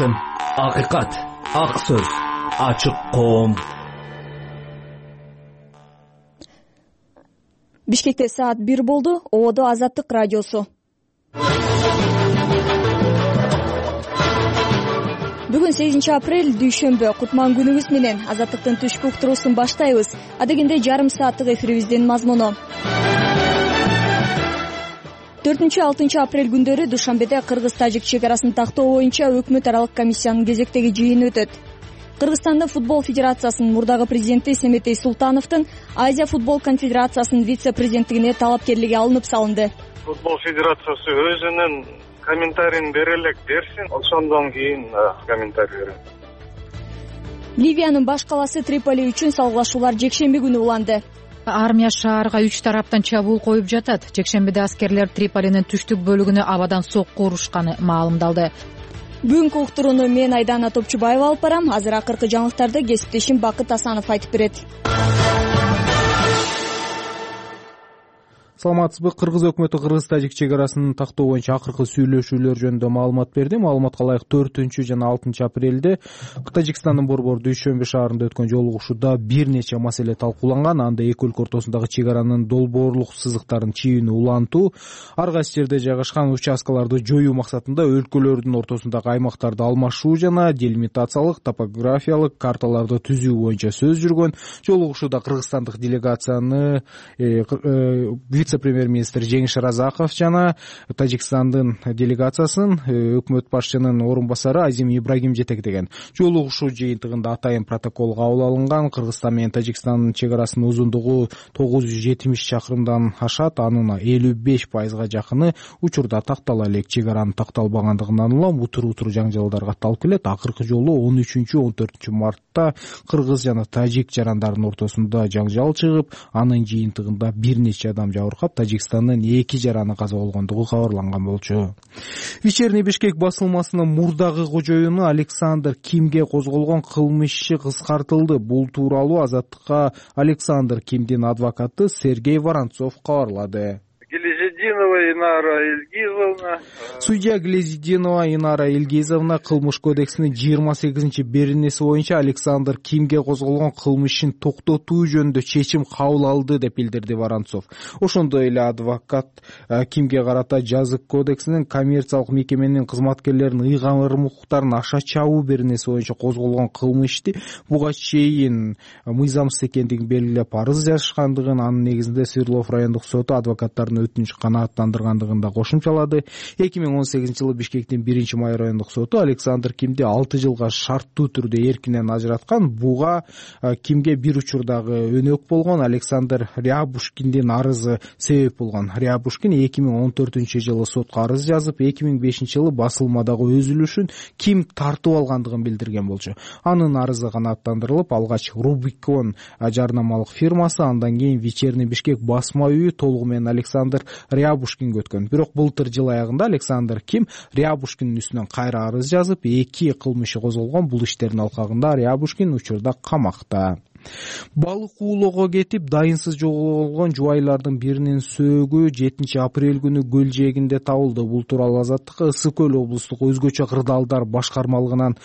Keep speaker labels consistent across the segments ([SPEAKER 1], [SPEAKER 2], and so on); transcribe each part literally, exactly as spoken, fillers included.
[SPEAKER 1] басым, акыйкат, ак сөз, ачык коом.
[SPEAKER 2] Бишкекте саат бир болду. Ободо Азаттык радиосу. Бүгүн сегизинчи апрель дүйшөмбү. Кутман күнүңүз менен Азаттыктын түшкү уктуруусун баштайбыз. Адегенде жарым сааттык эфирибиздин мазмуну. төртүнчү алтынчы апрель күндөрү Душанбеде Кыргыз-Тажик чек арасын тактоо боюнча өкмөт аралык комиссиянын кезектеги жыйыны өтөт. Кыргызстандын футбол федерациясынын мурдагы президенти Семетей Султановдун Азия футбол конфедерациясынын вице-президенттигине талапкерлиги алынып салынды.
[SPEAKER 3] Футбол федерациясы өзүнүн комментарийин бере элек берсин, ошондон кийин комментарий берем.
[SPEAKER 2] Ливиянын баш калаасы Триполи үчүн салгылашуулар жекшемби күнү уланды.
[SPEAKER 4] Армия шаарга үч тараптан чабуул коюп жатат. Жекшембиде аскерлер Триполинин түштүк бөлүгүнө абадан сокку урушканы маалымдалды.
[SPEAKER 2] Бүгүнкү уктурууну мен Айдана Топчубаева алып барам. Азыр акыркы жаңылыктарды кесиптешим Бакыт Асанов айтып берет.
[SPEAKER 5] Саламатсызбы? Кыргыз өкмөтү Кыргыз-Тажик чек арасын тактоо боюнча акыркы сүйлөшүүлөр жөнүндө маалымат берди. Маалыматка ылайык төртүнчү жана алтынчы апрелде Тажикстандын борбор Дүйшөмбү шаарында өткөн жолугушууда бир нече маселе талкууланган. Анда эки өлкө ортосундагы чек аранын долбоорлук сызыктарын чийүүнү улантуу, ар кайсы жерде жайгашкан участкаларды жоюу максатында өлкөлөрдүн ортосундагы аймактарды алмашуу жана делимитациялык, топографиялык карталарды түзүү боюнча сөз жүргөн. Жолугушууда кыргызстандык делегацияны вице-премьер-министр Жеңиш Разаков жана Тажикстандын делегациясын өкмөт башчынын орун басары Азим Ибрагим жетектеген. Жолугушуу жыйынтыгында атайын протокол кабыл алынган. Кыргызстан менен Тажикстандын чек арасынын узундугу тогуз жүз жетимиш чакырымдан ашат. Анын элүү беш пайызга жакыны учурда тактала элек. Чек аранын такталбагандыгынан улам утур-утур жаңжалдар катталып келет. Акыркы жолу он үчүнчү он төртүнчү мартта кыргыз жана тажик жарандарынын ортосунда жаңжал чыгып, анын жыйынтыгында бир нече адам жабыркап, Тажикстандын эки жараны каза болгондугу кабарланган болчу. Вечерний Бишкек басылмасынын мурдагы кожоюну Александр Кимге козголгон кылмыш иши кыскартылды. Бул тууралуу Азаттыкка Александр Кимдин адвокаты Сергей Воронцов кабарлады.
[SPEAKER 3] Глезидинова Инара Илгизовна.
[SPEAKER 5] Судья Глезидинова Инара Илгизовна кылмыш кодексинин жыйырма сегизинчи беренеси боюнча Александр Кимге козголгон кылмыш ишин токтотуу жөнүндө чечим кабыл алды деп билдирди Воронцов. Ошондой эле адвокат Кимге карата жазык кодексинин коммерциялык мекеменин кызматкерлеринин ыйгарым укуктарын аша чабуу беренеси боюнча козголгон кылмыш ишти буга чейин мыйзамсыз экендигин белгилеп арыз жазышкандыгын, анын негизинде Свердлов райондук соту адвокаттардын өтүнүч канааттандыргандыгын да кошумчалады. эки миң он сегизинчи жылы Бишкектин биринчи май райондук соту Александр Кимди алты жылга шарттуу түрдө эркинен ажыраткан. Буга Кимге бир учурдагы өнөк болгон Александр Рябушкиндин арызы себеп болгон. Рябушкин эки миң он төртүнчү жылы сотко арыз жазып, эки миң бешинчи жылы басылмадагы өзүлүшүн Ким тартып алгандыгын билдирген болчу. Анын арызы канааттандырылып, алгач Рубикон жарнамалык фирмасы, андан кийин Вечерний Бишкек басма үйү толугу менен Александр Рябушкинге өткөн. Бирок былтыр жыл аягында Александр Ким Рябушкиндин үстүнөн кайра арыз жазып, эки кылмышы козголгон. Бул иштердин алкагында Рябушкин учурда камакта. Балык уулоого кетип дайынсыз жоголгон жубайлардын биринин сөөгү жетинчи апрель күнү көл жээгинде табылды. Бул тууралуу Азаттыкка Ысык көл облустук өзгөчө кырдаалдар башкармалыгынан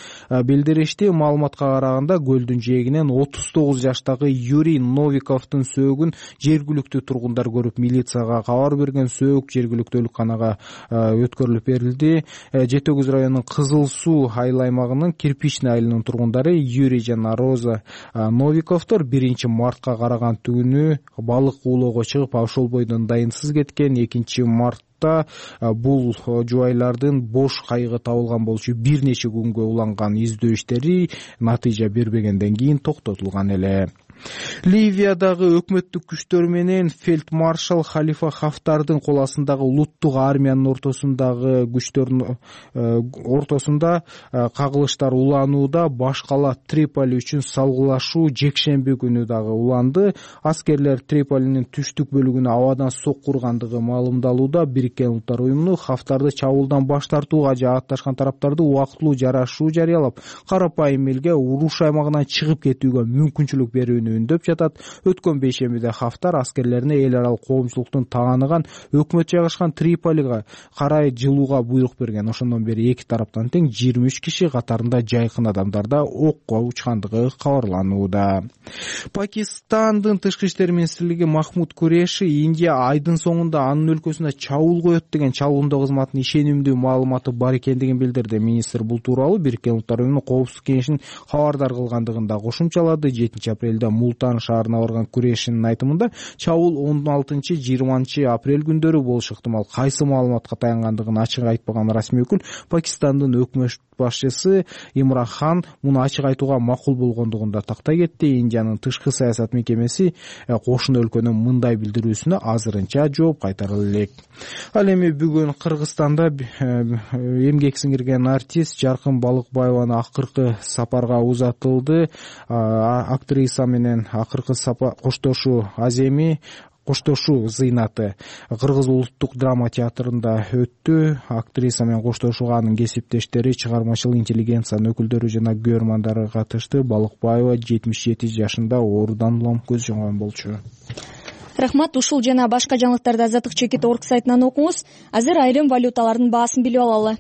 [SPEAKER 5] билдиришти. Маалыматка караганда көлдүн жээгинен отуз тогуз жаштагы Юрий Новиковдун сөөгүн жергиликтүү тургундар көрүп милицияга кабар берген. Сөөк жергиликтүү өлканага өткөрүлүп берилди. Жети өгүз районунун Кызыл Суу айыл аймагынын Кирпичный айылынын тургундары Юрий жана Роза Новиков биринчи мартка караган түнү балык уулоого чыгып, ошол бойдон дайынсыз кеткен. экинчи мартта бул жубайлардын бош кайыгы табылган болчу. Бир нече күнгө уланган издөө иштери натыйжа бербегенден кийин токтотулган эле. Ливиядагы өкмөттүк күчтөр менен фельдмаршал Халифа Хафтардын кол астындагы улуттук армиянын ортосундагы күчтөрдүн ортосунда кагылыштар уланууда. Баш кала Триполи үчүн салгылашуу жекшемби күнү дагы уланды. Аскерлер Триполинин түштүк бөлүгүнө абадан сокку ургандыгы маалымдалууда. Бириккен Улуттар уюму Хафтарды чабуулдан баш тартууга жаатташкан тараптарды убактылуу жарашуу жарыялап, карапайым элге уруш аймагынан чыгып кетүүгө мүмкүнчүлүк берүүнү ишенүү үндөп жатат. Өткөн бейшембиде Хафтар аскерлерине эл аралык коомчулуктун тааныган өкмөт жайгашкан Триполига карай жылууга буйрук берген. Ошондон бери эки тараптан тең жыйырма үч киши, катарында жайкын адамдар да окко учкандыгы кабарланууда. Пакистандын тышкы иштер министрлиги Махмуд Куреши Индия айдын соңунда анын өлкөсүнө чабуул коет деген чалгындоо кызматынын ишенимдүү маалыматы бар экендигин билдирди. Министр бул тууралуу Бириккен Улуттар Уюмунун Коопсуздук кеңешинин кабардар кылгандыгын да кошумчалады. жетинчи апрелде Мултан шаарына барган Курешинин айтымында чабуул он алтынчы жыйырманчы апрель күндөрү болушу ыктымал. Кайсы маалыматка таянгандыгын ачык айтпаган расмий өкүл Пакистандын өкмөт башчысы Имран Хан муну ачык айтууга макул болгондугун да тактай кетти. Индиянын тышкы саясат мекемеси кошуна өлкөнүн мындай билдирүүсүнө азырынча жооп кайтара элек. Ал эми бүгүн Кыргызстанда эмгек сиңирген артист Жаркын Балыкбаеваны акыркы сапарга узатылды. Актриса менен акыркы коштошуу аземи коштошуу зыйнаты Кыргыз улуттук драма театрында өттү. Актриса менен коштошууга анын кесиптештери, чыгармачыл интеллигенциянын өкүлдөрү жана көрөрмандары катышты. Балыкбаева жетимиш жети жашында оорудан улам көз жумган болчу.
[SPEAKER 2] Рахмат. Ушул жана башка жаңылыктарды Азаттык чекит точка орг сайтынан окуңуз. Азыр айрым валюталардын баасын билип алалы.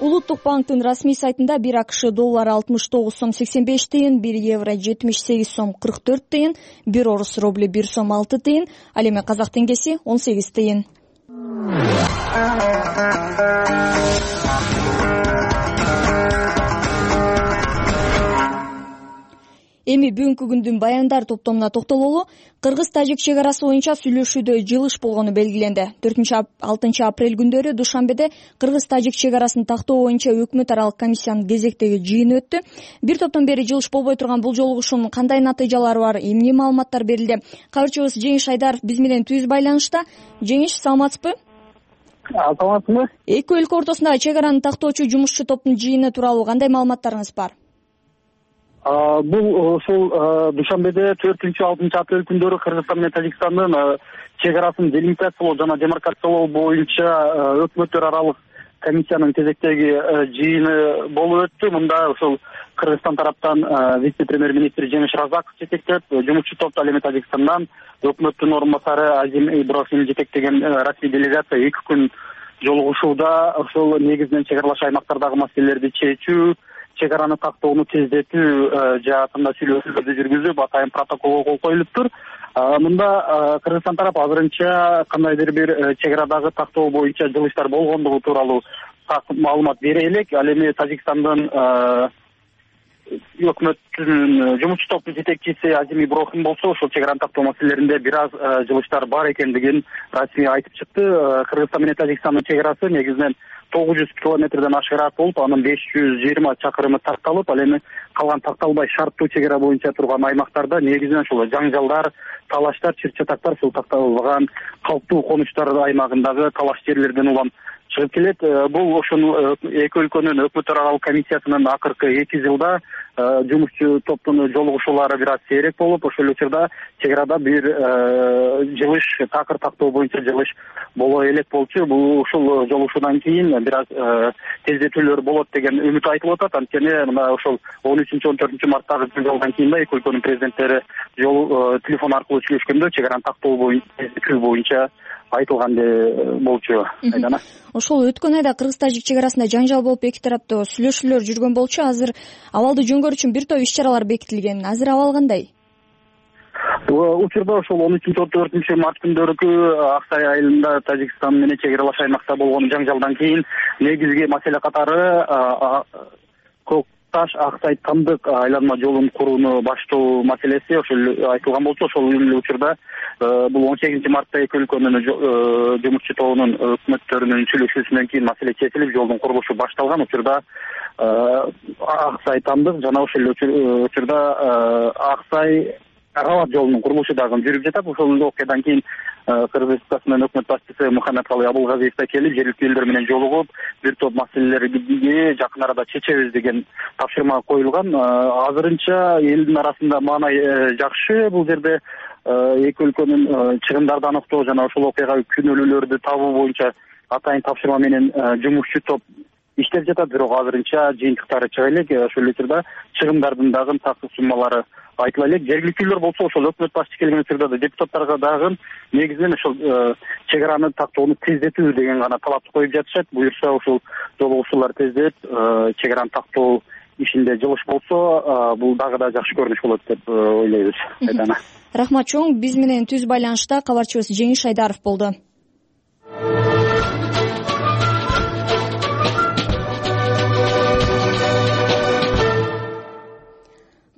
[SPEAKER 2] Улуттук банктын расмий сайтында бир АКШ доллары алтымыш тогуз сом сексен беш тыйын, бир евро жетимиш сегиз сом кырк төрт тыйын, бир орус рубли бир сом алты тыйын, ал эми казак теңгеси он сегиз тыйын. Эми бүгүнкү күндүн баяндар топтомуна токтололу. Кыргыз-тажик чек арасы боюнча сүйлөшүүдө жылыш болгону белгиленди. төртүнчү алтынчы апрель күндөрү Душанбеде Кыргыз-тажик чек арасын тактоо боюнча өкмөт аралык комиссиянын кезектеги жыйыны өттү. Бир топтон бери жылыш болбой турган бул жолугушуунун кандай натыйжалары бар, эмне маалыматтар берилди? Кабарчыбыз Жеңиш Айдаров биз менен түз байланышта. Жеңиш, саламатсызбы?
[SPEAKER 6] Саламатсызбы?
[SPEAKER 2] Эки өлкө ортосундагы чек араны тактоочу жумушчу топтун жыйыны тууралуу кандай маалыматтарыңыз бар?
[SPEAKER 6] Бул ошол Душанбеде төртүнчү алтынчы апрель күндөрү Кыргызстан менен Тажикстандын чек арасын делимитациялоо жана демаркациялоо боюнча өкмөттөр аралык комиссиянын кезектеги жыйыны болуп өттү. Мында ошол Кыргызстан тараптан вице-премьер-министр Жеңиш Разаков жетектеп, жумушчу топту ал эми Тажикстандан өкмөттүн орун басары Азим Иброхим жетектеген расмий делегация эки күн жолугушууда ошол негизинен чек аралаш аймактардагы маселелерди чечүү, чек араны тактоону тездетүү жаатында сүйлөшүүлөрдү жүргүзүп, атайын протоколго кол коюлуптур. Мында Кыргызстан тарап азырынча кандайдыр бир чек арадагы тактоо боюнча жылыштар болгондугу тууралуу маалымат бере элек. Ал эми Тажикстандын өкмөттүн жумушчу топтун жетекчиси Азим Иброхим болсо, ошол чек араны тактоо маселелеринде бир аз жылыштар бар экендигин расмий айтып чыкты. Кыргызстан менен Тажикстандын чек арасы негизинен тогуз жүз километрден ашыгыраак болуп, анын беш жүз жыйырма чакырымы такталып, ал эми калган такталбай шарттуу чек ара боюнча турган аймактарда негизинен ошол жаңжалдар, талаштар, чыр-чатактар, ушул такталбаган калктуу конуштар аймагындагы талаш жерлерден улам чыгып келет. Бул ошол эки өлкөнүн өкмөттөр аралык комиссиясынын акыркы эки жылда жумушчу топтун жолугушуулары бир аз сейрек болуп, ошол учурда чек арада бир жылыш, такыр тактоо боюнча жылыш боло элек болчу. Бул ушул жолугушуудан кийин бир аз тездетүүлөр болот деген үмүт айтылып атат. Анткени мына ошол он үчүнчү он төртүнчү марттагы жолдан кийин да эки өлкөнүн президенттери жол телефон аркылуу сүйлөшкөндө чек араны тактоо боюнча айтылгандай болчу. Айдана.
[SPEAKER 2] Ошол өткөн айда Кыргыз-тажик чек арасында жаңжал болуп, эки тараптуу сүйлөшүүлөр жүргөн болчу. Азыр абалды жөнгөрүү үчүн бир топ иш-чаралар бекитилген. Азыр абал кандай?
[SPEAKER 6] Учурда ошол он үчүнчү он төртүнчү март күндөрүкү Аксай айылында Тажикстан менен чек аралаш аймакта болгон жаңжалдан кийин негизги маселе катары Таш Аксай Тамдык айланма жолун курууну баштоо маселеси ошол айтылган болчу. Ошол учурда бул он сегизинчи мартта эки өлкөнүн жумушчу тобунун өкмөттөрүнүн сүйлөшүүсүнөн кийин маселе чечилип, жолдун курулушу башталган. Учурда Аксай Тамдык жана ошол учурда Аксай Аралат жолунун курулушу дагы жүрүп жатат. Ошол окуядан кийин Кыргыз Республикасынын өкмөт башчысы Мухаммедкалый Абулгазиев да келип, жергиликтүү элдер менен жолугуп, бир топ маселелерди жакын арада чечебиз деген тапшырма коюлган. Азырынча элдин арасында маанай жакшы. Бул жерде эки өлкөнүн чыгымдарды аныктоо жана ошол окуяга күнөөлүүлөрдү табуу боюнча атайын тапшырма менен жумушчу топ иштеп жатат, бирок азырынча жыйынтыктары чыга элек. Ошол эле учурда чыгымдардын дагы такыр суммалары айтыла элек. Жергиликтүүлөр болсо ошол өкмөт башчы келген учурда да депутаттарга дагы негизинен ошол чек араны тактоону тездетүү деген гана талапты коюп жатышат. Буюрса ушул жолугушуулар тездеп чек араны тактоо ишинде жылыш болсо, бул дагы да жакшы көрүнүш болот деп ойлойбуз. Айдана.
[SPEAKER 2] Рахмат чоң. Биз менен түз байланышта кабарчыбыз Жеңиш Айдаров болду.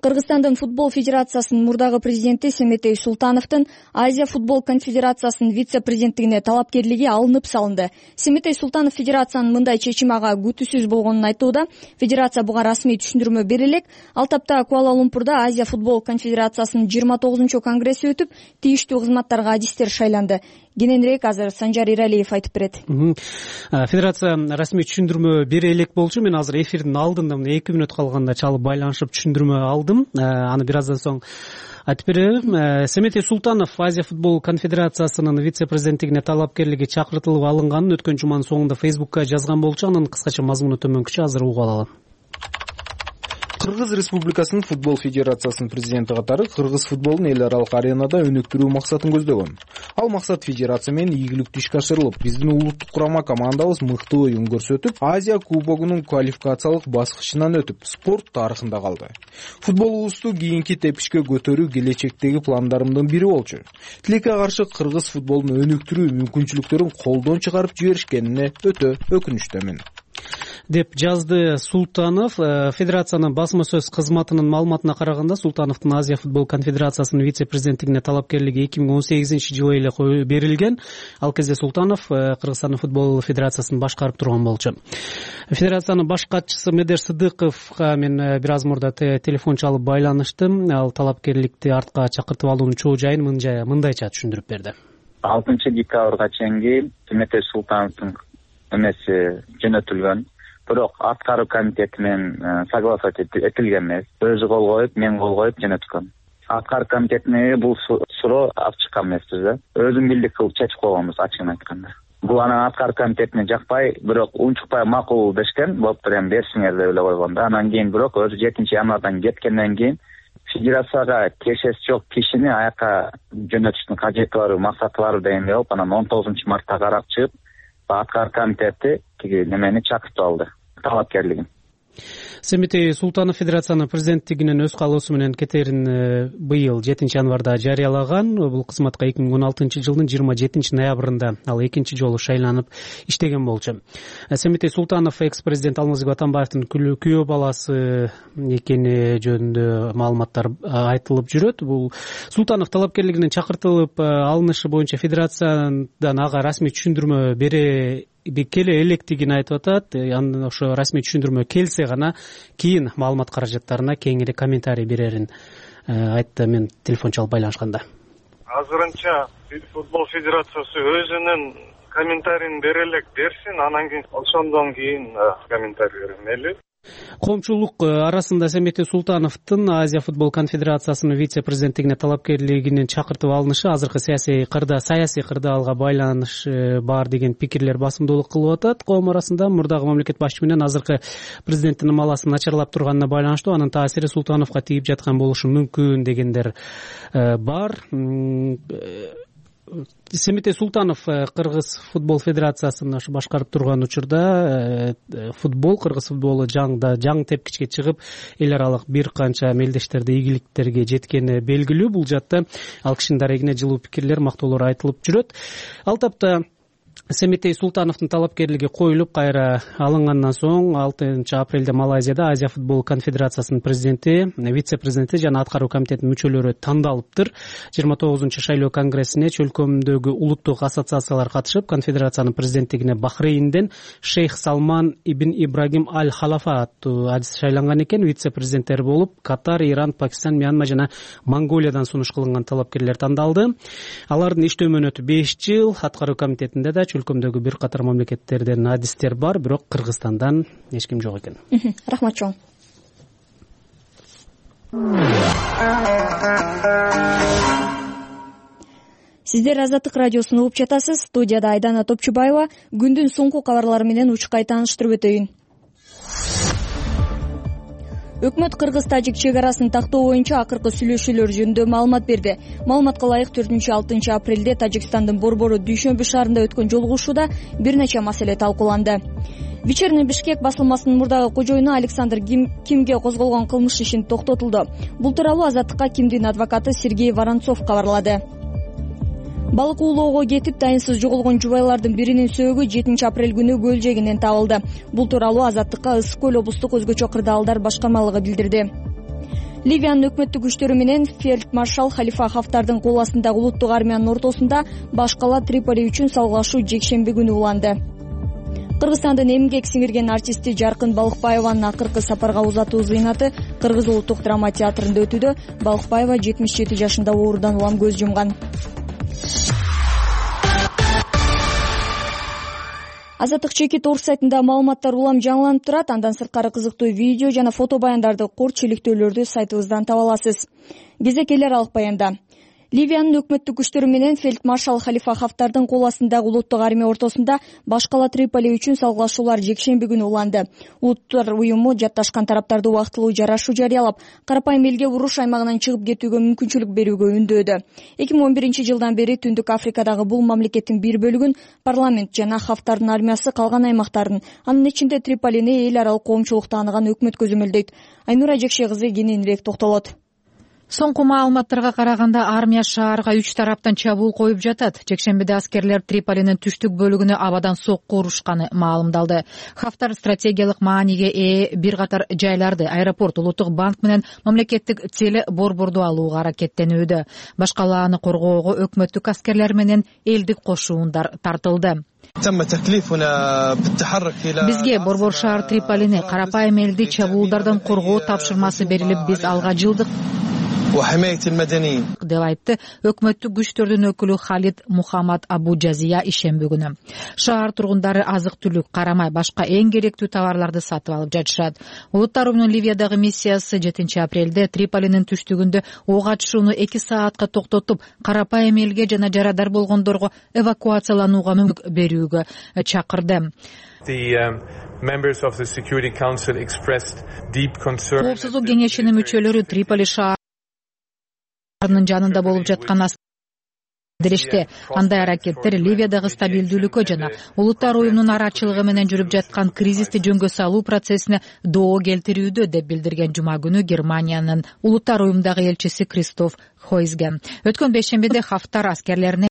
[SPEAKER 2] Кыргызстандын футбол федерациясынын мурдагы президенти Семетей Султановдун Азия футбол конфедерациясынын вице-президенттигине талапкерлиги алынып салынды. Семетей Султанов федерациянын мындай чечими ага күтүүсүз болгонун айтууда. Федерация буга расмий түшүндүрмө бере элек. Ал тапта Куала-Лумпурда Азия футбол конфедерациясынын жыйырма тогузунчу конгресси өтүп, тийиштүү кызматтарга адистер шайланды. Кененирээк азыр Санжар Иралиев айтып берет.
[SPEAKER 7] Федерация расмий түшүндүрмө бере элек болчу. Мен азыр эфирдин алдында эки мүнөт калганда чалып байланышып түшүндүрмө алдым. Аны бир аздан соң айтып берем. Семетей Султанов Азия футбол конфедерациясынын вице-президенттигине талапкерлиги чакыртылып алынганын өткөн жуманын соңунда Фейсбукка жазган болчу. Анын кыскача мазмуну төмөнкүчө, азыр угуп алалы.
[SPEAKER 5] Кыргыз Республикасынын футбол федерациясынын президенти катары кыргыз футболун эл аралык аренада өнүктүрүү максатын көздөгөн. Ал максат федерация менен ийгиликтүү ишке ашырылып, биздин улуттук курама командабыз мыкты оюн көрсөтүп, Азия кубогунун квалификациялык баскычынан өтүп, спорт тарыхында калды. Футболубузду кийинки тепкичке көтөрүү келечектеги пландарымдын бири болчу. Тилекке каршы кыргыз футболун өнүктүрүү мүмкүнчүлүктөрүн колдон чыгарып жиберишкенине өтө өкүнүчтөмүн
[SPEAKER 7] деп жазды Султанов. Федерациянын басма сөз кызматынын маалыматына караганда, Султановдун Азия футбол конфедерациясынын вице-президенттигине талапкерлиги эки миң он сегизинчи жылы эле берилген. Ал кезде Султанов Кыргызстандын футбол федерациясын башкарып турган болчу. Федерациянын баш катчысы Медер Сыдыковго мен бир аз мурда телефон чалып байланыштым. Ал талапкерликти артка чакыртып алуунун чоо жайын мындайча түшүндүрүп берди.
[SPEAKER 8] алтынчы декабрга чейинки Семетей Султановдун эмеси жөнөтүлгөн. Бирок аткаруу комитети менен согласовать этилген эмес. Өзү кол коюп, мен кол коюп жөнөткөн. Аткаруу комитетине бул суроо алып чыккан эмеспиз да. Өзүм билдик кылып чечип койгонбуз, ачыгын айтканда. Бул анан аткаруу комитетине жакпай, бирок унчукпай макул дешкен. Болуптур, эми берсиңер деп эле койгон да. Анан кийин бирок өзү жетинчи январдан кеткенден кийин федерацияга тиешеси жок кишини аяка жөнөтүштүн кажети бар, максаты бар дегенде болуп, анан он тогузунчу мартта карап чыгып, аткаруу комитети тиги немени чакыртып алды, талапкерлигин.
[SPEAKER 7] Семетей Султанов федерациянын президенттигинен өз каалоосу менен кетерин быйыл жетинчи январда жарыялаган. Бул кызматка эки миң он алтынчы жылдын жыйырма жетинчи ноябрында ал экинчи жолу шайланып иштеген болчу. Семетей Султанов экс-президент Алмазбек Атамбаевдин күйөө баласы экени жөнүндө маалыматтар айтылып жүрөт. Бул Султанов талапкерлигинен чакыртылып алынышы боюнча федерациядан ага расмий түшүндүрмө бере келе электигин айтып атат. Андан ошо расмий түшүндүрмө келсе гана кийин маалымат каражаттарына кеңири комментарий берерин айтты мен телефон чалып байланышканда.
[SPEAKER 3] Азырынча футбол федерациясы өзүнүн комментарийин бере элек берсин, анан кийин ошондон кийин комментарий бермели.
[SPEAKER 7] Коомчулук арасында Семетей Султановдун Азия футбол конфедерациясынын вице-президенттигине талапкерлигинин чакыртып алынышы азыркы саясий кырда саясий кырда алга байланыш бар деген пикирлер басымдуулук кылып атат коом арасында. Мурдагы мамлекет башчысы менен азыркы президенттин ымаласын начарлап турганына байланыштуу анын таасири Султановго тийип жаткан болушу мүмкүн дегендер бар. Семетей Султанов Кыргыз футбол федерациясын башкарып турган учурда футбол, кыргыз футболу жаңда жаң тепкичке чыгып, эл аралык бир канча мелдештерде ийгиликтерге жеткени белгилүү. Бул жакта ал кишинин дарегине жылуу пикирлер, мактоолор айтылып жүрөт. Ал тапта Семетей Султановдун талапкерлиги коюлуп кайра алынгандан соң алтынчы апрелде Малайзияда Азия футбол конфедерациясынын президенти, вице-президенти жана аткаруу комитетинин мүчөлөрү тандалыптыр. жыйырма тогузунчу шайлоо конгрессине чөлкөмдөгү улуттук ассоциациялар катышып, конфедерациянын президенттигине Бахрейнден Шейх Салман ибн Ибрагим аль-Халафа аттуу адис шайланган экен. Вице-президенттер болуп Катар, Иран, Пакистан, Мьянма жана Монголиядан сунуш кылынган талапкерлер тандалды. Алардын иштөө мөөнөтү беш жыл. Аткаруу комитетинде да чөлкөмдөгү бир катар мамлекеттерден адистер бар, бирок Кыргызстандан эч ким жок экен.
[SPEAKER 2] Рахмат чоң. Сиздер Азаттык радиосун угуп жатасыз. Студияда Айдана Топчубаева. Күндүн соңку кабарлары менен учкай тааныштырып өтөйүн. Өкмөт кыргыз-тажик чек арасын тактоо боюнча акыркы сүйлөшүүлөр жөнүндө маалымат берди. Маалыматка ылайык төртүнчү алтынчы апрелде Тажикстандын Борбору Дүйшөмбү шаарында өткөн жолугушууда бир нече маселе талкууланды. Вечерний Бишкек басылмасынын мурдагы кожоюну Александр Кимге козголгон кылмыш ишин токтотулду. Бул тууралуу Азаттыкка Кимдин адвокаты Сергей Воронцов кабарлады. Балык уулоого кетип дайынсыз жоголгон жубайлардын биринин сөөгү жетинчи апрель күнү көл жээгинен табылды. Бул тууралуу Азаттыкка Ысык көл облустук өзгөчө кырдаалдар башкармалыгы билдирди. Ливиянын өкмөттүк күчтөрү менен фельдмаршал Халифа Хафтардын кол астындагы улуттук армиянын ортосунда баш кала Триполи үчүн салгылашуу жекшемби күнү уланды. Кыргызстандын эмгек сиңирген артисти Жаркын Балыкбаеванын акыркы сапарга узатуу зыйнаты Кыргыз улуттук драма театрында өтүүдө. Балыкбаева жетимиш жети жашында оорудан улам көз жумган. Азаттык чекит орус сайтында маалыматтар улам жаңыланып турат. Андан сырткары кызыктуу видео жана фото баяндарды, кор чиликтөөлөрдү сайтыбыздан таба аласыз. Кезек элер алык баянда. Ливиянын өкмөттүк күчтөрү менен фельдмаршал Халифа Хафтардын кол астындагы улуттук армия ортосунда баш кала Триполи үчүн салгылашуулар жекшемби күнү уланды. Улуттар уюму жатташкан тараптарды убактылуу жарашуу жарыялап, карапайым элге уруш аймагынан чыгып кетүүгө мүмкүнчүлүк берүүгө үндөөдү. эки миң он биринчи жылдан бери Түндүк Африкадагы бул мамлекеттин бир бөлүгүн парламент жана Хафтардын армиясы калган аймактарын, анын ичинде Триполини эл аралык коомчулук тааныган өкмөт көзөмөлдөйт. Айнура Жекше кызы кененирээк токтолот.
[SPEAKER 4] Соңку маалыматтарга караганда армия шаарга үч тараптан чабуул коюп жатат. Жекшембиде аскерлер Триполинин түштүк бөлүгүнө абадан сокку урушканы маалымдалды. Хафтар стратегиялык мааниге ээ бир катар жайларды, аэропорт, улуттук банк менен мамлекеттик теле борборду алууга аракеттенүүдө. Баш калааны коргоого өкмөттүк аскерлер менен элдик кошуундар тартылды. Бизге борбор шаар Триполини, карапайым элди чабуулдардан коргоо тапшырмасы берилип, биз алга жылдык деп айтты өкмөттүк күчтөрдүн өкүлү Халид Мухаммад Абу Жазия ишемби күнү. Шаар тургундары азык-түлүк, карамай башка эң керектүү товарларды сатып алып жатышат. Улуттар уюмунун Ливиядагы миссиясы жетинчи апрелде Триполинин түштүгүндө ок атышууну эки саатка токтотуп, карапайым элге жана жарадар болгондорго эвакуацияланууга мүмкүнчүлүк берүүгө чакырды. Коопсуздук кеңешинин мүчөлөрү Триполи шаар жанында болуп жаткан билдиришти. Андай аракеттер Ливиядагы стабилдүүлүккө жана улуттар уюмунун арачылыгы менен жүрүп жаткан кризисти жөнгө салуу процессине доо келтирүүдө деп билдирген жума күнү Германиянын улуттар уюмундагы элчиси Кристоф Хойзге. Өткөн бейшембиде Хафтар аскерлерине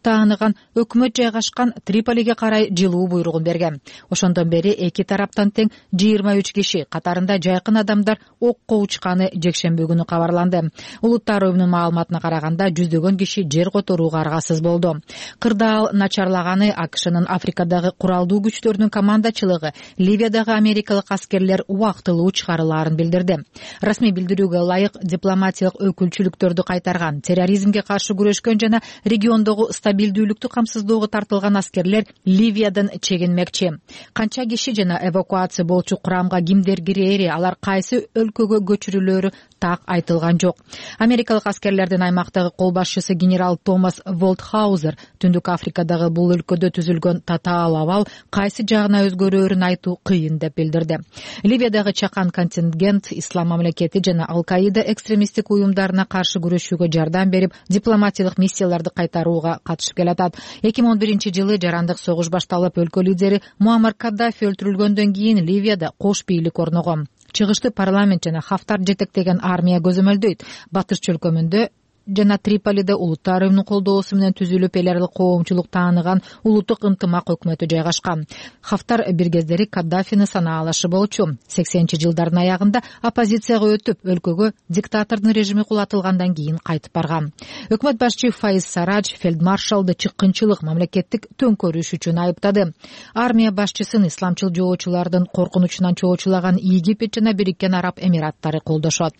[SPEAKER 4] тааныган өкмөт жайгашкан Триполиге карай жылуу буйругун берген. Ошондон бери эки тараптан тең жыйырма үч киши, катарында жайкын адамдар окко учканы жекшемби күнү кабарланды. Улуттар уюмунун маалыматына караганда жүздөгөн киши жер которууга аргасыз болду. Кырдаал начарлаганы АКШнын Африкадагы куралдуу күчтөрүнүн командачылыгы Ливиядагы америкалык аскерлер убактылуу чыгарылаарын билдирди. Расмий билдирүүгө ылайык дипломатиялык өкүлчүлүктөрдү кайтарган, терроризмге каршы күрөшкөн жана региондогу стабилдүүлүктү камсыздоого тартылган аскерлер Ливиядан чегинмекчи. Канча киши жана эвакуация болчу курамга кимдер кирери, алар кайсы өлкөгө көчүрүлөрү так айтылган жок. Америкалык аскерлердин аймактагы кол башчысы генерал Томас Волтхаузер Түндүк Африкадагы бул өлкөдө түзүлгөн татаал абал кайсы жагына өзгөрөөрүн айтуу кыйын деп билдирди. Ливиядагы чакан контингент Ислам мамлекети жана Ал-Каида экстремисттик уюмдарына каршы күрөшүүгө жардам берип, дипломатиялык миссияларды кайтарууга катышып келатат. эки миң он биринчи жылы жарандык согуш башталып, өлкө лидери Муаммар Каддафи өлтүрүлгөндөн кийин Ливияда кош бийлик орногон. Чыгышты парламент жана Хафтар жетектеген армия көзөмөлдөйт. Батыш чөлкөмүндө жана Триполиде улуттар уюмунун колдоосу менен түзүлүп эл аралык коомчулук тааныган улуттук ынтымак өкмөтү жайгашкан. Хафтар бир кездери Каддафини санаалашы болчу. сексенинчи жылдардын аягында оппозицияга өтүп, өлкөгө диктатордун режими кулатылгандан кийин кайтып барган. Өкмөт башчы Фаиз Сарадж фельдмаршалды чыккынчылык, мамлекеттик төңкөрүш үчүн айыптады. Армия башчысын исламчыл жоочулардын коркунучунан чоочулаган Египет жана Бириккен Араб Эмираттары колдошот.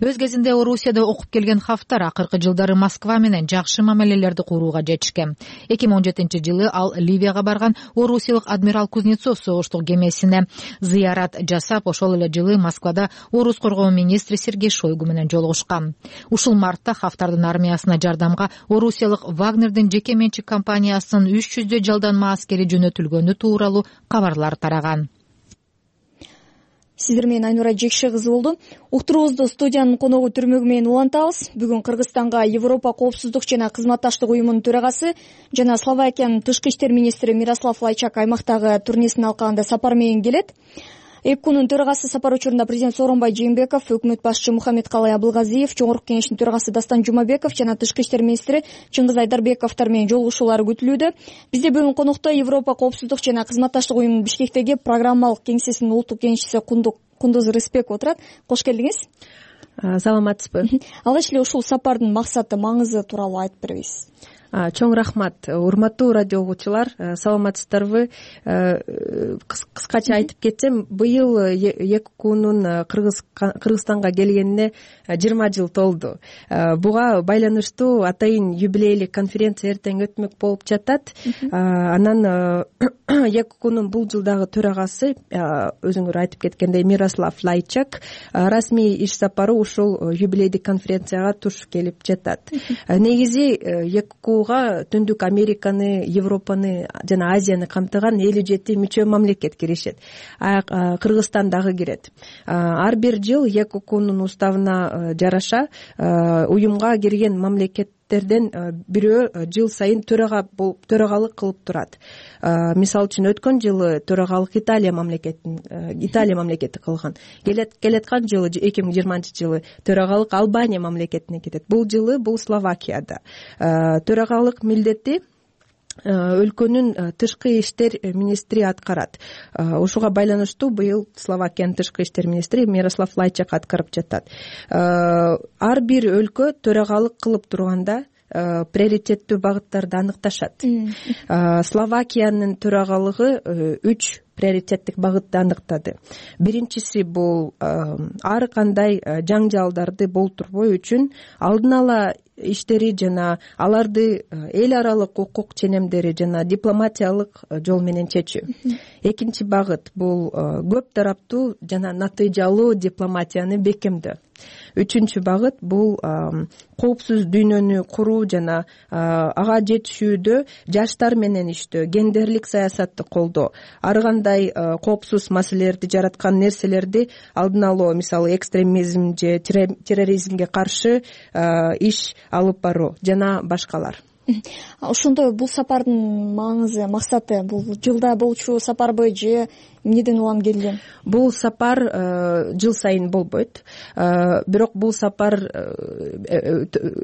[SPEAKER 4] Өз кезинде Орусияда окуп келген Хафтар акыркы жылдары Москва менен жакшы мамилелерди курууга жетишкен. эки миң он жетинчи жылы ал Ливияга барган орусиялык адмирал Кузнецов согуштук кемесине зыярат жасап, ошол эле жылы Москвада орус коргоо министри Сергей Шойгу менен жолугушкан. Ушул мартта Хафтардын армиясына жардамга орусиялык Вагнердин жеке менчик компаниясынын үч жүздөй жалданма аскери жөнөтүлгөнү тууралуу кабарлар тараган.
[SPEAKER 2] Сиздер менен Айнура Жекше кызы болду. Уктуруубузду студиянын коногу Түрмөгү менен улантабыз. Бүгүн Кыргызстанга Европа коопсуздук жана кызматташтык уюмунун төрагасы жана Словакиянын тышкы иштер министри Мирослав Лайчак аймактагы турнесин алкагында сапар менен келет. ЭПКУнун төрагасы сапар учурунда президент Сооронбай Жээнбеков, өкмөт башчы Мухаммедкалый Абылгазиев, жогорку кеңештин төрагасы Дастан Жумабеков жана тышкы иштер министри Чыңгыз Айдарбековдор менен жолугушуулары күтүлүүдө. Бизде бүгүн конокто Европа коопсуздук жана кызматташтык уюмунун Бишкектеги программалык кеңсесинин улуттук кеңешчиси Кундуз Рыспек отурат. Кош келдиңиз.
[SPEAKER 9] Саламатсызбы.
[SPEAKER 2] Алгач эле ушул сапардын максаты, маңызы тууралуу айтып беребиз.
[SPEAKER 9] Чоң рахмат. Урматтуу радио угуучулар, саламатсыздарбы? Кыскача айтып кетсем, быйыл ЭКУнун Кыргызстанга келгенине жыйырма жыл толду. Буга байланыштуу атайын юбилейлик конференция эртең өтмөк болуп жатат. Анан ЭКУнун бул жылдагы төрагасы, өзүңөр айтып кеткендей, Мирослав Лайчак расмий иш сапары ушул юбилейдик конференцияга туш келип жатат. Негизи ЭКУ Түндүк Американы, Европаны жана Азияны камтыган элүү жети мүчө мамлекет киришет. Кыргызстан дагы кирет. Ар бир жыл ЭКУнун уставына жараша уюмга кирген мамлекеттерден бирөө жыл сайын төрага болуп төрагалык кылып турат. Мисалы үчүн өткөн жылы төрагалык Италия мамлекетин Италия мамлекети кылган. Келаткан жылы эки миң жыйырманчы жылы төрагалык Албания мамлекетине кетет. Бул жылы бул Словакияда. Төрагалык милдетти өлкөнүн тышкы иштер министри аткарат. Ушуга байланыштуу быйыл Словакиянын тышкы иштер министри Мирослав Лайчак аткарып жатат. Ар бир өлкө төрагалык кылып турганда приоритеттүү багыттарды аныкташат. Словакиянын төрагалыгы үч приоритеттик багытты аныктады. Биринчиси бул ар кандай жаңжалдарды болтурбоо үчүн алдын ала иштери жана аларды эл аралык укук ченемдери жана дипломатиялык жол менен чечүү. Экинчи багыт бул көп тараптуу жана натыйжалуу дипломатияны бекемдөө. Үчүнчү багыт бул коопсуз дүйнөнү куруу жана ага жетишүүдө жаштар менен иштөө, гендерлик саясатты колдоо, ар кандай коопсуз маселелерди жараткан нерселерди алдын алуу, мисалы экстремизм же терроризмге каршы иш алып баруу жана башкалар.
[SPEAKER 2] Ошондой бул сапардын маңызы, максаты бул жылда болчу сапарбы же эмнеден улам келген?
[SPEAKER 9] Бул сапар жыл сайын болбойт. Бирок бул сапар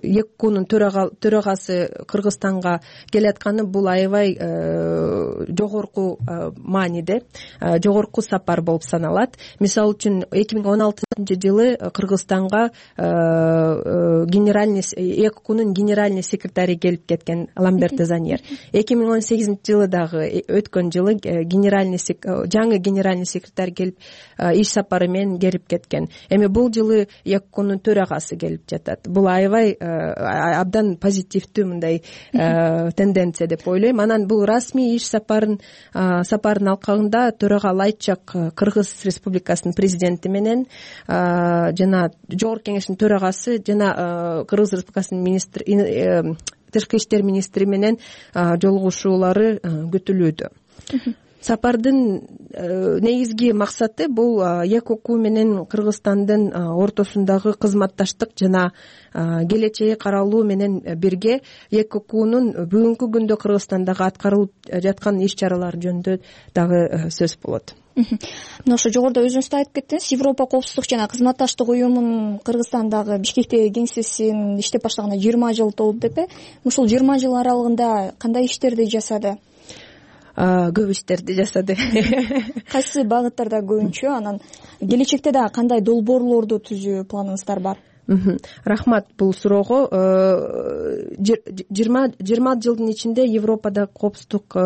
[SPEAKER 9] ЭКУнун төрагасы Кыргызстанга келатканы бул аябай жогорку мааниде, жогорку сапар болуп саналат. Мисалы үчүн эки миң он алтынчы жылы Кыргызстанга генеральный ЭКУнун генеральный секретари келип кеткен Ламберт Заньер. эки миң он сегизинчи жылы дагы өткөн жылы генеральный жаңы генеральный секретарь келип иш сапары менен келип кеткен. Эми бул жылы ЭКУнун төрагасы келип жатат. Бул аябай абдан позитивдүү мындай тенденция деп ойлойм. Анан бул расмий иш сапарын сапардын алкагында төрага Лайчак Кыргыз Республикасынын президенти менен жана жогорку кеңештин төрагасы жана Кыргыз Республикасынын министри тышкы иштер министри менен жолугушуулары күтүлүүдө. Сапардын негизги максаты бул ЭКУ менен Кыргызстандын ортосундагы кызматташтык жана келечеги каралуу менен бирге ЭКУнун бүгүнкү күндө Кыргызстандагы аткарылып жаткан иш-чаралар жөнүндө дагы сөз болот.
[SPEAKER 2] Мына ошо жогоруда өзүңүз да айтып кеттиңиз, Европа коопсуздук жана кызматташтык уюмунун Кыргызстандагы Бишкектеги кеңсесин иштеп баштаганына жыйырма жыл толду деп э? Ушул жыйырма жыл аралыгында кандай иштерди жасады?
[SPEAKER 9] Көп иштерди жасады.
[SPEAKER 2] Кайсы багыттарда көбүнчө, анан келечекте дагы кандай долбоорлорду түзүү планыңыздар бар?
[SPEAKER 9] Рахмат бул суроого. жыйырма жылдын ичинде Европада коопсуздук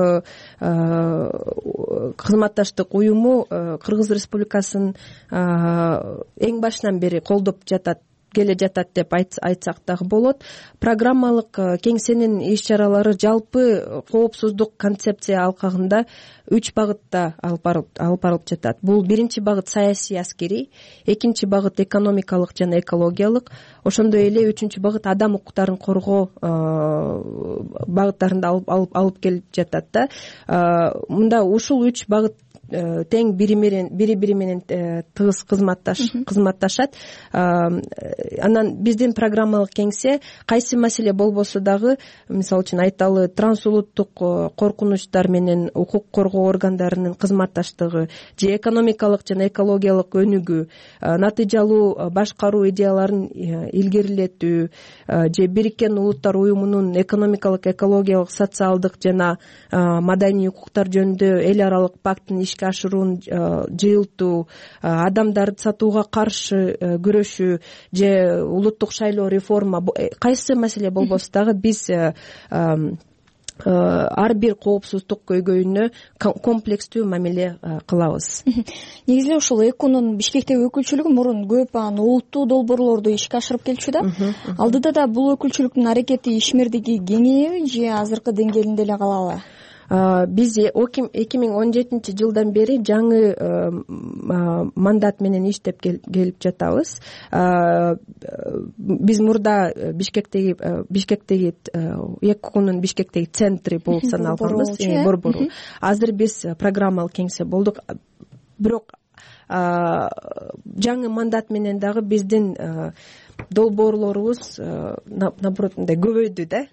[SPEAKER 9] кызматташтык уюму Кыргыз Республикасын эң башынан бери колдоп жатат келе жатат деп айтсак дагы болот. Программалык кеңсенин иш чаралары жалпы коопсуздук концепция алкагында үч багытта алып барылып жатат. Бул биринчи багыт саясий аскерий, экинчи багыт экономикалык жана экологиялык, ошондой эле үчүнчү багыт адам укуктарын коргоо багыттарында алып келип жатат да. Мында ушул үч багыт тең бири менен бири бири менен тыгыз кызматташат. Анан биздин программалык кеңсе кайсы маселе болбосо дагы, мисалы үчүн айталы, трансулуттук коркунучтар менен укук коргоо органдарынын кызматташтыгы же экономикалык жана экологиялык өнүгүү, натыйжалуу башкаруу идеяларын илгерилетүү же Бириккен Улуттар уюмунун экономикалык, экологиялык, социалдык жана маданий укуктар жөнүндө эл аралык пакттын ишке ашыруун жыйылтуу, адамдарды сатууга каршы күрөшүү же улуттук шайлоо реформа, кайсы маселе болбосо дагы биз ар бир коопсуздук көйгөйүнө комплекстүү мамиле кылабыз.
[SPEAKER 2] Негизи эле ушул ЭКУнун Бишкектеги өкүлчүлүгү мурун көп анан улуттуу долбоорлорду ишке ашырып келчү да. Алдыда да бул өкүлчүлүктүн аракети ишмердиги кеңейеби же азыркы деңгээлинде эле калабы? Биз эки миң он жетинчи жылдан бери жаңы мандат менен иштеп келип жатабыз. Биз мурда Бишкектеги Бишкектеги ЭКУнун Бишкектеги центри болуп саналганбыз, борбору. Азыр биз программалык кеңсе болдук. Бирок жаңы мандат менен дагы биздин долбоорлорубуз наоборот мындай көбөйдү да.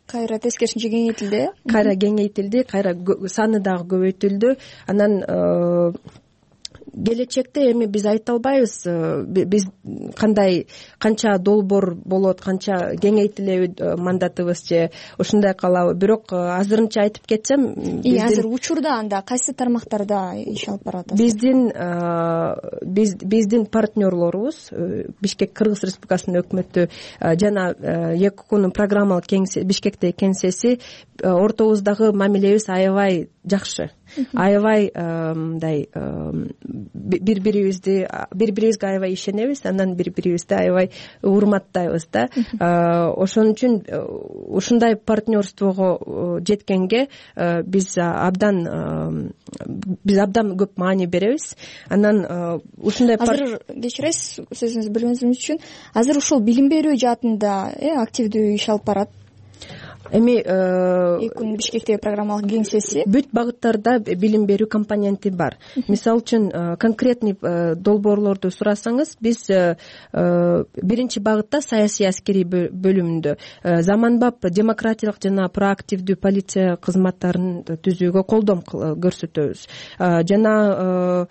[SPEAKER 2] Кайра тескерисинче кеңейтилди.
[SPEAKER 9] Кайра кеңейтилди, кайра саны дагы көбөйтүлдү. Анан келечекте эми биз айта албайбыз биз кандай канча долбоор болот, канча кеңейтилеби мандатыбыз же ушундай калабы. Бирок азырынча айтып кетсем,
[SPEAKER 2] азыр учурда анда кайсы тармактарда иш алып баратасыз?
[SPEAKER 9] Биздин биз биздин партнерлорубуз Бишкек Кыргыз Республикасынын өкмөтү жана ЭКУнун программалык кеңсе Бишкектеги кеңсеси ортобуздагы мамилебиз аябай жакшы. Аябай мындай бири бирибизди бири бирибизге аябай ишенебиз, анан бири бирибизди аябай урматтайбыз да. Ошон үчүн ушундай партнерствого жеткенге биз абдан биз абдан көп маани беребиз. Анан ушундай
[SPEAKER 2] азыр кечиресиз сөзүңүздү бөлгөнүм үчүн, азыр ушул билим берүү жаатында активдүү иш алып барат.
[SPEAKER 9] Эми
[SPEAKER 2] ЭКУнун Бишкектеги программалык кеңсеси
[SPEAKER 9] бүт багыттарда билим берүү компоненти бар. Мисалы үчүн конкретный долбоорлорду сурасаңыз, биз биринчи багытта саясий аскерий бөлүмүндө заманбап демократиялык жана проактивдүү полиция кызматтарын түзүүгө колдом көрсөтөбүз. Жана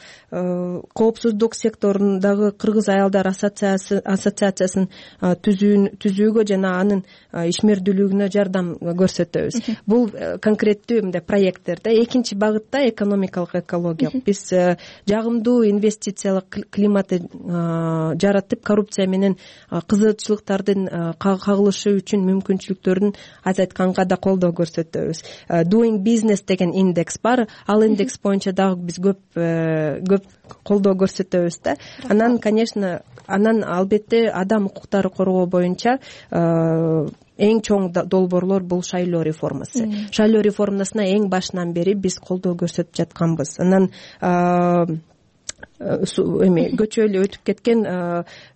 [SPEAKER 9] коопсуздук секторундагы Кыргыз аялдар ассоциациясын түзүүгө жана анын ишмердүүлүгүнө жардам көрсөтөбүз. Бул конкреттүү мындай проекттер да. Экинчи багытта экономикалык, экологиялык. Биз жагымдуу инвестициялык климатты жаратып, коррупция менен кызыкчылыктардын кагылышы үчүн мүмкүнчүлүктөрүн азайтканга да колдоо көрсөтөбүз. Doing business деген индекс бар. Ал индекс боюнча дагы биз көп көп колдоо көрсөтөбүз да. Анан, конечно, анан албетте адам укуктары коргоо боюнча эң чоң долбоорлор бул шайлоо реформасы. Шайлоо реформасына эң башынан бери биз колдоо көрсөтүп жатканбыз. Анан эми көчө эле өтүп кеткен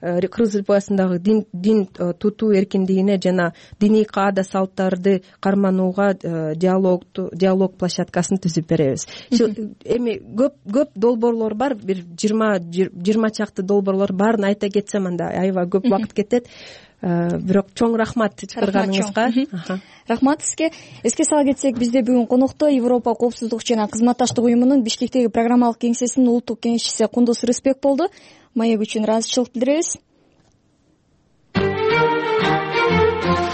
[SPEAKER 9] Кыргыз Республикасындагы дин дин тутуу эркиндигине жана диний каада салттарды карманууга диалог диалог площадкасын түзүп беребиз. Эми көп көп долбоорлор бар, бир жыйырма жыйырма чакты долбоорлор баарын айта кетсем анда аябай көп убакыт кетет. Бирок чоң рахмат чакырганыңызга.
[SPEAKER 2] Рахмат сизге. Эске сала кетсек, бизде бүгүн конокто Европа коопсуздук жана кызматташтык уюмунун Бишкектеги программалык кеңсесинин улуттук кеңешчиси Кундуз Рыспек болду. Маек үчүн ыраазычылык билдиребиз.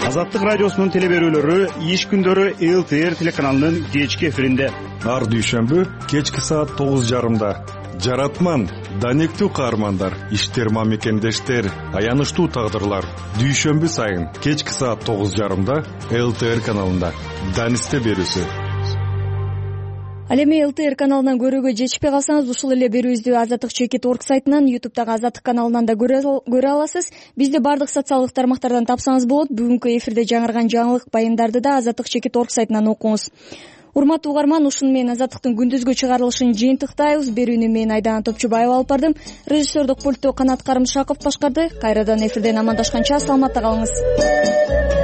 [SPEAKER 10] Азаттык радиосунун теле берүүлөрү иш күндөрү эл тэ эр телеканалынын кечки эфиринде.
[SPEAKER 11] Ар дүйшөмбү кечки саат тогуз жарымда. Жаратман, данектүү каармандар, иштер мамекендештер, аянычтуу тагдырлар. Дүйшөмбү сайын кечки саат тогуз жарымда эл тэ эр каналында. Данисте берүүсү.
[SPEAKER 2] Ал эми эл тэ эр каналынан көрүүгө жетишпей калсаңыз, ушул эле берүүбүздү азаттык чекит орг сайтынан, ютубтагы азаттык каналынан да көрө аласыз. Бизди бардык социалдык тармактардан тапсаңыз болот. Бүгүнкү эфирде жаңырган жаңылык баяндарды да азаттык чекит орг сайтынан окуңуз. Урматтуу угарман, ушуну менен азаттыктын күндүзгү чыгарылышын жыйынтыктайбыз. Берүүнү мен Айдана Топчубаева алып бардым. Режиссердук пультту Канат Карымшаков башкарды. Кайрадан эфирден амандашканча саламатта калыңыз.